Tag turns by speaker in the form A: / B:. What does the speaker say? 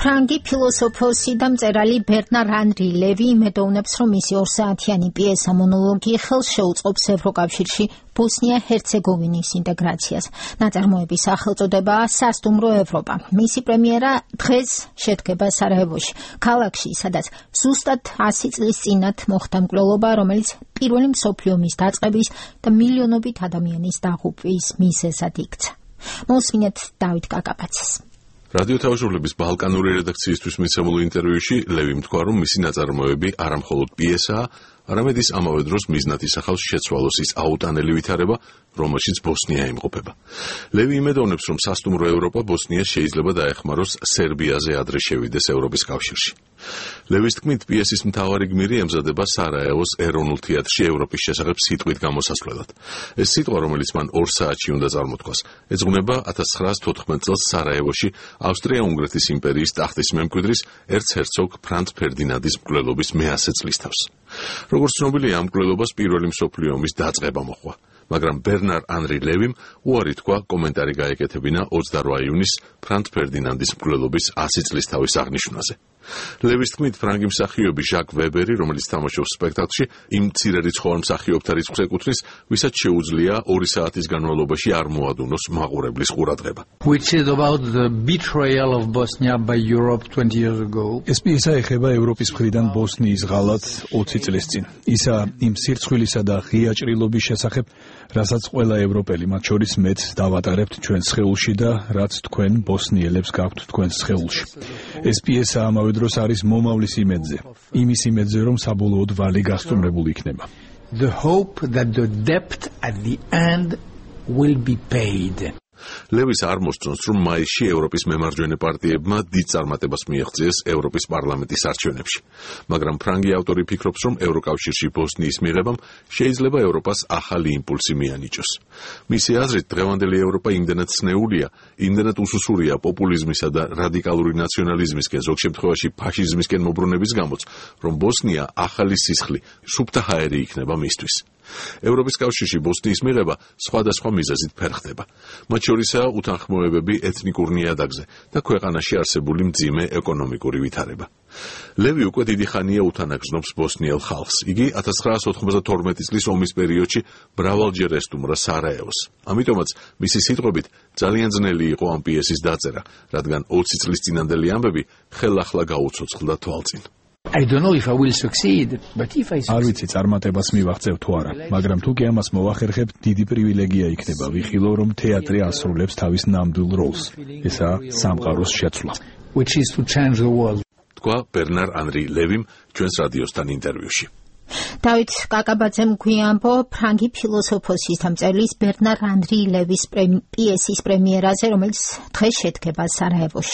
A: ფრანგი ფილოსოფოსი და მწერალი ბერნარ ანრი ლევი იმედოვნებს, რომ მისი 2 საათიანი პიესა მონოლოგი ხელს შეუწყობს ევროკავშირში ბოსნია-ჰერცეგოვინის ინტეგრაციას. ნაწარმოების სახელწოდებაა სასტუმრო ევროპა. მისი პრემიერა დღეს შედგება სარაევოში, ქალაქში, სადაც ზუსტად 100 წლის წინათ მოხდა მკვლელობა, რომელიც პირველი მსოფლიო ომის დაწყების და მილიონობით ადამიანის დაღუპვის მიზეზად იქცა. მოსმინეთ დავით კაკაბაძეს.
B: რადიო თავისუფლების ბალკანური რედაქციისთვის მიცემულ ინტერვიუში ლევიმ თქვა, რომ მისი ნაწარმოები არა მხოლოდ პიესაა, არამედ ის ამავე დროს მიზნად ისახავს შეცვალოს ის აუტანელი ვითარება, რომელშიც ბოსნია იმყოფება. ლევი იმედოვნებს, რომ სასტუმრო ევროპა ბოსნიას შეიძლება დაეხმაროს სერბიაზე ადრე შევიდეს ევროპის კავშირში. ლევის თქმით, პიესის მთავარი გმირი ემზადება სარაევოს ეროვნულ თეატრში ევროპის შესახებ სიტყვით გამოსასვლელად. ეს სიტყვა, რომელიც მან 2 საათში უნდა წარმოთქვას, ეძღვნება 1914 წელს სარაევოში ავსტრია-უნგრეთის იმპერიის ტახტის მემკვიდრის ერცჰერცოგ ფრანც ფერდინანდის მკვლელობის მე-100 წლისთავს. როგორც ცნობილია, ამ მკვლელობას პირველი მსოფლიო ომის დაწყება მოჰყვა, მაგრამ ბერნარ ანრი ლევიმ უარი თქვა კომენტარი გაეკეთებინა 28 იუნის ფრანც ფერდინანდის მკვლელობის 100 წლისთავის აღნიშვნაზე. ლევის თქმით, ფრანგი მსახიობი ჟაკ ვებერი, რომელიც თამაშობს სპექტაკლში, იმ მცირერიცხოვან მსახიობთა რიცხვს ეკუთვნის, ვისაც შეუძლია 2 საათის განმავლობაში არ მოადუნოს მაყურებლის ყურადღება.
C: Which is about the betrayal of Bosnia by Europe 20 years ago.
D: ეს პიესა ეხება ევროპის მხრიდან ბოსნიის ღალატ 20 წლის წინ. ისა იმ სირცხვილისა და ღია ჭრილობის შესახებ, რასაც ყველა ევროპელი, მათ შორის მეც დავატარებთ ჩვენს სხეულში და რაც თქვენ ბოსნიელებს გაქვთ თქვენს სხეულში. ეს პიესა ამავე დროს არის მომავლის იმედზე. იმის იმედზე, რომ საბოლოოდ ვალი გასტუმრებული იქნება.
C: The hope that the debt at the end will be paid.
B: ლევის არ მოსწონს, რომ მაისში ევროპის მემარჯვენე პარტიებმა დიდ წარმატებას მიაღწიეს ევროპის პარლამენტის არჩევნებში. მაგრამ ფრანგი ავტორი ფიქრობს, რომ ევროკავშირში ბოსნიის მიღებამ შეიძლება ევროპას ახალი იმპულსი მიანიჭოს. მისი აზრით, დღევანდელი ევროპა იმდენად ცნეულია, იმდენად უსუსურია პოპულიზმისა და რადიკალური ნაციონალიზმისკენ, ზოგ შემთხვევაში ფაშიზმისკენ მობრუნების გამოც, რომ ბოსნია ახალი სისხლი, სუფთა ჰაერი იქნება მისთვის. ევროპის კავშირში ბოსნიის მიღება სხვადასხვა მიზეზით ფერხდება. მათ შორისაა უთანხმოებები ეთნიკურ ნიადაგზე და ქვეყანაში არსებული მძიმე ეკონომიკური ვითარება. ლევი უკვე დიდი ხანია უთანაგზნობს ბოსნიელ ხალხს. იგი 1992 წლის ომის პერიოდში მრავალჯერ ესტუმრა სარაევოს. ამიტომაც მისი სიტყვებით ძალიან ძნელი იყო ამ პიესის დაწერა, რადგან 20 წლის წინანდელი ამბები ხელახლა გაუცოცხლდა თვალწინ.
C: I don't know if I will succeed, but if I
D: არ ვიცი წარმატებას მივაღწევ თუ არა, მაგრამ თუ კი ამას მოვახერხებ, დიდი პრივილეგია იქნება ვიხილო, რომ თეატრი ასრულებს თავის ნამდვილ როლს. ესაა სამყაროს შეცვლა.
C: which is to change the world.
B: თქვა ბერნარ ანრი ლევიმ ჩვენს რადიოსთან ინტერვიუში.
A: დავით კაკაბაძემ გვიამბო ფრანგი ფილოსოფოსის და მწერლის ბერნარ ანრი ლევის პიესის პრემიერაზე, რომელიც დღეს შედგება სარაევოში.